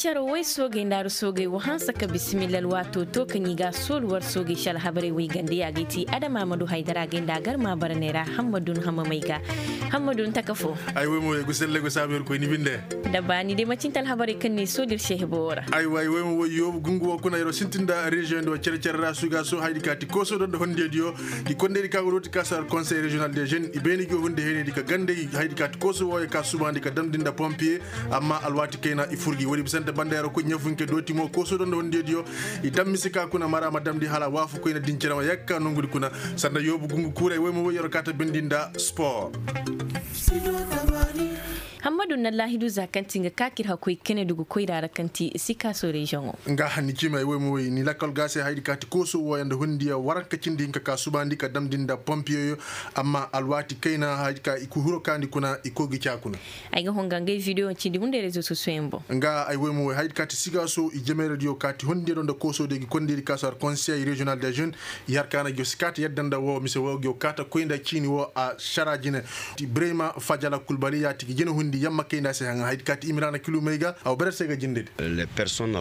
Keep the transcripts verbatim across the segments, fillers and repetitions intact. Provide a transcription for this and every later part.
Cere way soogey nda ar soogey wa hanse ka bisimilla alwaato to kaŋ i ga a soolu war soogey se alhabarey way gande a ga ay ti adama ma du haydara ga ay nda a gar ma bara neera. Hammadun hamamey ga hammadun taka fo. Ay way mo way gu selle gu saabu yer koy ni binde. Da baani day macinte alhabarey kaŋ ni soolu ir se hebo wo ra. Ay way way mo way yoobu gungu wo kuna yer wo sintin nda reziyoŋ nda wo cere cere ra suga so haydi ka ti kooso do nda hondiyadiyo. I kondaydi ka go dooti ka sar konsey reziyonal de jeune i beeni gi wo hunde heenaydi ka gandey haydi ka ti kooso wo ye ka subaandi ka damndi nda pompiye. Amma alwaati kayna i fur gi woodi bisante banda yer wo koy ɲafunke dooti mo kooso do nda hondiyadiyo. I dam mise ka kuna mara ma damndi hala waafu koyna dinciraŋo yakka nongudi kuna. Sanda yoobu gungu kuuray woy ma woy yer wo kaata bindi nda sport. Hammadu na laahidu za kaŋ ti nga kaakir hakkoy kene dugu koyra ra kaŋ ti sikaaso reziyoŋo. Nga hanni ciima ay woy ma woy ni lakkal ga se haydi ka ti kooso wooyaŋ nda hundiya waranka cindi hinka ka subaandi ka damndi nda pompiyeyo. Amma alwaati kayna haydi ka i ku hiro kaandi kuna i koy ga ca kuna. Ay ga honga ngay videyo cindi hunday rezo sosiyo yaŋ boŋ. Nga ay woy ma woy haydi ka ti sigaaso i jemeeradiyo ka ti hundiya do nda kooso de gi kondiri ka sar konsey reziyonal de jeune. I har kaana gi yo si kaata yadda nda wo mise wo gi yo kaata koy nda ciini wo a sara jine. Ti brema fajala kulbali ya ti gi jine hundi yamma kay nda se haŋa haydi ka ti imiraana kilumey ga a wo bere se ga jinde de.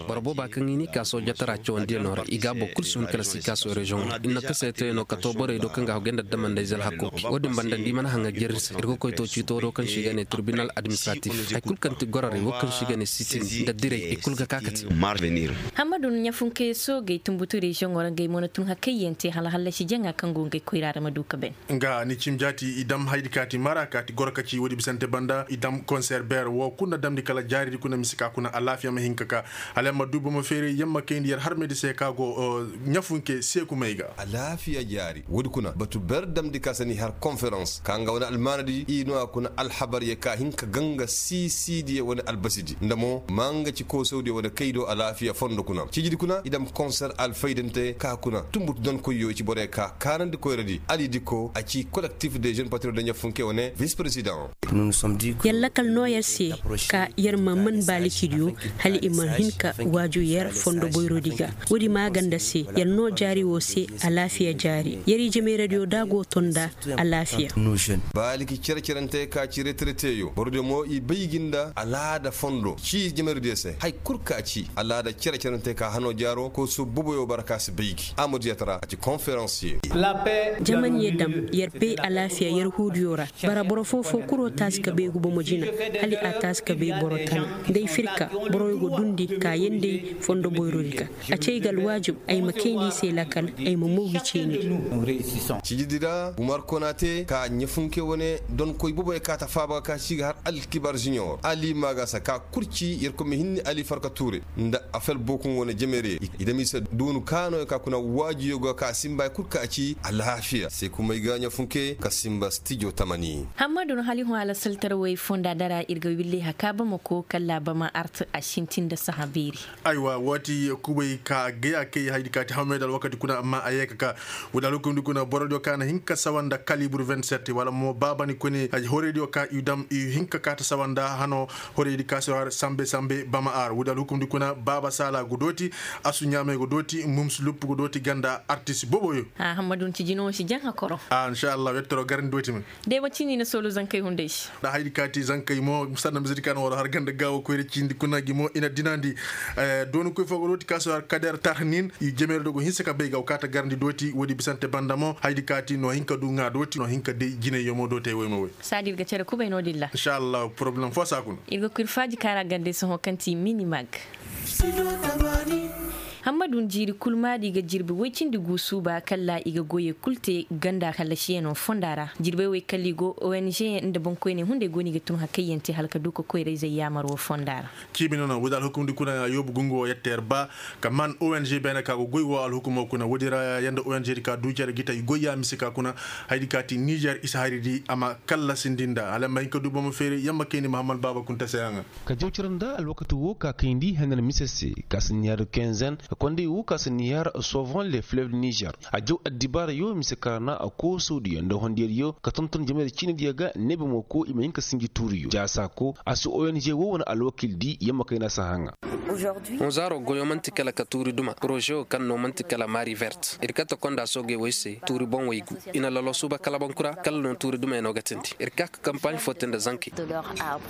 Boro booba kaŋ i n'i ka soojatara cawandiyaŋo ra i ga a boro kulu si hun kala sikaaso reziyoŋo ra i na taseetayano ka to borey do kaŋ ga a hogey nda damandey zalhakko. Wo-din banda nda i mana haŋa jerri se ir ga koy to ciito do kaŋ se i ga ne tirbinal administratif hay kulu kaŋ ti gororey wo kaŋ se i ga ne sitin nda direy i kulu ga ka ka te. Hammadu ɲafunkayaŋ soogey tunbutu reziyoŋo ra ngey mo na tun hakayyaŋ te hala hallasi jaŋa kaŋ go ngey koyra ra ma du ka ben. Nga ni cim jaati i dam haydi kaati mara kaati goro ka ci woodi bisante banda i dam konser beer wo kuna damndi kala jaaridi kuna mise ka kuna alaafiya ma hin ka ka. Hala yamma du bomo feeray yamma kayndi yer harmaydi se ka go ɲafunke seekumey ga alaafiya jaari woodi kuna batu beer damndi ka se ni har konferans ka nga wane almaanadi i no a kuna alhabaryaŋ ka hin ka ganga siisidiyaŋ wane albasidi nda mo maa nga ci koosawdiyaŋ wane kay do alaafiya fondo kuna ciijidi kuna i dam konser alfaydante ka kuna tunbutu donkoyyo i ci borey ka kaanandi koyradi ali diko a ci kolektif de jeune patriyot da ɲafunke wane vis-president. Yer lakal no yer se ka yer ma man baaliki diyo hala i ma hin ka waaju yer fondo boyrodi ga. Woodi maaganda se yer no jaari wo se alaafiya jaari yer i jemeeradiyo da go to nda alaafiya. Baaliki cere-cerante ka ci retereteyo borodiyo mo i bay gi nda alaada fondo ci jemeeradiyo se hay kul ka ci alaada cere-cerante ka hano jaaro kooso boboyo bara ka si bay gi a ma diyatara a ci konferansiye. Jaman ye dam yer pey alaafiya yer huudiyo ra. Bara boro foo-foo kuro taasi ka bay guba mo jina hala a taasi ka bay boro tana. Nda ay firka boroyo go dundi kaayandi fondo boyrodi ga. A ci ay ga alwaajib ay ma kayndi i se lakal ay ma moogi ceenidi. Cijidi ra gumar konate ka ɲafunke wane donkoy boboy kaata faaba ka ci ga har alkibar junior ali maagasa ka kurci yerkoy ma hinni ali farka tuure nda afel bokuŋ wane jemere i dam i se doonu kaanoyo ka kuna waajiyo ga ka simba ay kul ka ci alaafiya se kumay ga ɲafunke ka simba stijo tamani. Hammadu no hali hõ alasaltarawey fonda dara ir ga wille haka bamako kalla bama art a sintin nda saha beeri. Aywa waati kubay ka gaya kay haydi ka ti hawmey da alwakati kuna amma a yee ka ka. Wala alhukumdi kuna borodiyo ka na hin ka sawa nda kalibur vingt-sept wala mo baabani kone horeydiyo ka i dam i hin ka kaata sawa nda hano. Horeydi ka se har sambe sambe bama ar wala alhukumdi kuna baaba saala go dooti. Asu ɲaamey go dooti mumsu luppu go dooti ganda artis boboyo. Hammadu nti jino si jaŋ hakoro. Inshallah wettoro garandi dooti me. Deema cini na soolu zankey hunday se. Nda haydi kaati zankey mo sanna misidi ka na war har ganda gaawo koyra cindi kuna gi mo i na dinandi. Dooni koy fo go dooti ka si war kader tarhnin i jemeeri dogo hinsa ka bay ga wa kaata garandi dooti woodi bisante banda mo haydi kaati no hin ka du ŋaa dooti no hin ka day jinayyo mo dootey woy ma woy. Saadi ir ga cere kubay no-din ra. Inshallah poroblem fo si a kuna. Ir ga koy ir faaji kaara gande sohõ kaŋ ti minimag. Hammadu njiiri kul maadi ga jirbi woy cindi gu suuba kalla i ga goyey kul te ganda hallasiyano fonda ra. Jirbey wey kalla i go ong nda boŋkoyney hunday go no i ga tun hakayyaŋ te hala ka du ka koyrayzey yaamar wo fonda ra. Ciimi no no woodi alhukumdi kuna yoobu gungu wo yette yer ba ka man ong beene ka go goy wo alhukumo kuna woodi ra ya nda ong di ka du cere gita i goy ya mise ka kuna. Haydi ka ti nizer i si hari di a ma kallasindi nda hala ma hin ka du bomo feeri yamma kayndi mahammad baaba kunta se yaŋa. Ka jaw cere nda alwakati wo ka kayndi haŋar mise se ka si nihar kenzen ka konday wo ka si nihar sovan le fleuve nizer. A jaw addibaara yo mise karana a koosodiyo nda hondiyadiyo ka tonton jamay da ciinidiyo ga neebe mo ko i ma hin ka sinji tuuriyo jaasa ko a si ong wo wane alwakil di yamma kayna si haŋa. Hõ zaaro goyo man'ti kala ka tuuri duma poroze wo kaŋ no man'ti kala mari vert ir kate konda soogey wey se tuuri boŋ wey gu. I na lalo suuba kala bankura kala no tuuri dumey no ga tindi ir ka ka kampaaɲ fo te nda zankey.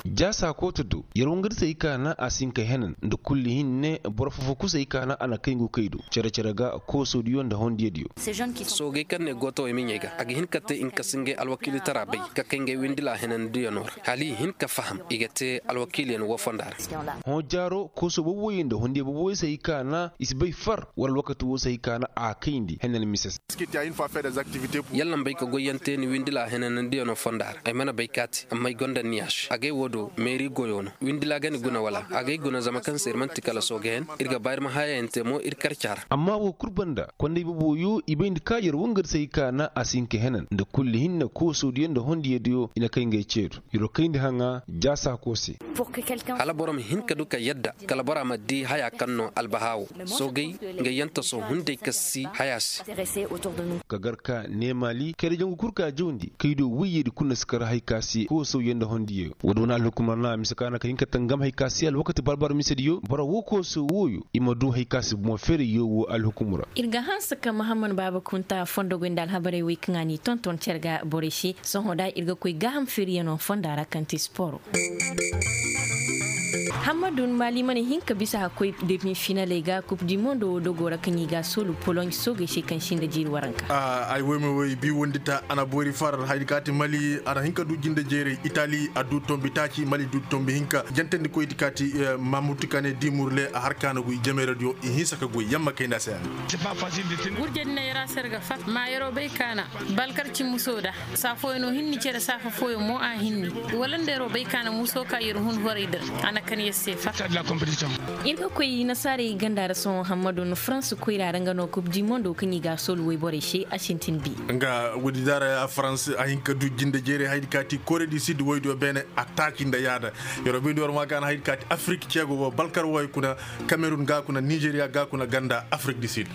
Jaasa kooto do yer wangar se ay kaana a si hin ka henan nda kulli hinne boro fofo kusa ay kaana a na kay ngu kay do cere-cere ga kooso diyo nda hondiya diyo. Soogey kaŋ ne gootawey miɲey ga a ga hin ka te i ma kasa ngey alwakiilitara bay ka kay ngey windila henandiyanoo ra hala i hin ka faham i ga te alwakiiliyan woo fonda ra. Hõ jaaro kooso boobo woyey nda hondiya boobo woyey se hay kaana i si bay far wala alwakati woo se hay kaana a kayndi henan mise se. Yalla ma bay ka goyyaŋ te ni windila henanandiyanoo fonda ra ay mana bay ka a te amma ay gonda niyaš agay woo do meeri goyo no windila ga ni guna wala agay guna zama kaŋ se ir man'ti kala sooga hen ir ga ba ir ma hayayaŋ te mo ir karca ra. Amma woo kul banda kondey boobo yo i bayndi ka yer wangar se hay kaana a si hin ka henan nda kulli hinne kooso diyo nda hondiya diyo i na kay ngey ceedu. Yer wo kayndi haŋa jaasa koo se. Hala boro ma hin ka du ka yadda kala bora ma di haya kaŋ no albahaa wo soogey nga yantaso hunday ka si haya se. Ka gar ka ne maali kayra jangu kul ka jawndi kaydo woyyeedi kul na si kar hay ka se koosawyaŋ nda hondiyo woodi wane alhukumar na a mise ka na ka hin ka tangam hay ka se alwakati barbar misediyo boro woo kooso wooyo i ma du hay ka se bomo ferayyo woo alhukumu ra. Ir ga hanse ka mahammad baaba kunta fondogoy nda alhabarey wey kaŋ a n'i tonton cere ga borey se sohõ da ir ga koy gaaham feeriyanoo fonda ra kaŋ ti sporo. Hammadu maali mana hin ka bisa ka koy demi finaley ga kup di mondo wo dogo ra kaŋ i ga a soolu poloɲ soogey se kaŋ si nda jiiri waranka. Ay woy ma woy bi wondi ta a na boori far haydi kaati mali a na hin ka du jinde jeeray itali a du tombi taaci mali du tombi hinka jantandi koydi kaati. Mamutu kane dimurle a har kaana goy jameeradiyo i hinsa ka goy yamma kay nda se. Gurjey din ay ra se ir ga fat maayaroo bay kaana balkar cimmusoo da. Saa fooyaŋ no hinni cere saafa fooyaŋ mo a hinni wala nda yeroo bay ka na muusoo ka yer hun horay dir. A na kan yer se fa. Ir ga koy nasaarey ganda ra sohõ hammadu na farans koyra ra nga no kub di mondo kaŋ i ga a soolu woyborey se a sintin bi. Nga woodi daara farans a hin ka du jinde jeeray haydi ka ti kore di sid woydo beene a taaci nda yaada. Yeroo bay nda war ma ga na haydi ka ti afrik ceego wo balkar woy kuna kamerun ga kuna nizeriya ga kuna ganda afrik di sid.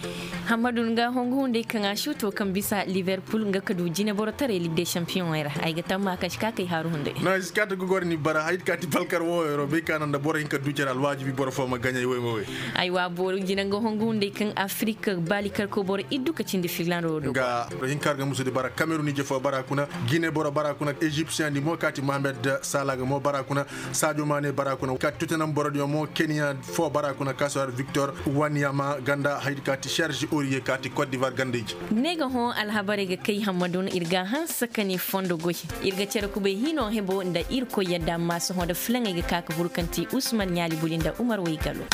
Hammadu nga hongu hunday kaŋ a suuto kaŋ bisa liverpul nga ka du jineborotaray lig de sampiyoŋey ra ay ga tamma kaŋ si ka kay haaru hunday. No ay si ka ta gogor ni bara hay ka ti balkar wo yeroo bay ka naŋ nda boro hin ka du care alwaajibi boro fo ma gaɲay woy ma woy. Aywa boro jina nga hongu hunday kaŋ afrik baali karko boro iddu ka cindi filando do. Nga hinka har ga musu di bara kamerun ije fo bara kuna gine boro bara kuna egyptian di mo ka ti mohamed sala ga mo bara kuna sadio mane bara kuna ka ti totenam borodiyo mo kenya fo bara kuna ka si har victor wanyama ganda haydi ka ti serge oriye ka ti cote d'ivoire ganda ije. Ne ga hõ alhabarey ga kay hammadun ir ga a hanse ka ne fondo goy. Ir ga cere kubay hino hebo nda irkoy yadda amma sohõ nda filaŋey ga ka ka fur kaŋ ti usman ɲaali buli nda umar waygalo.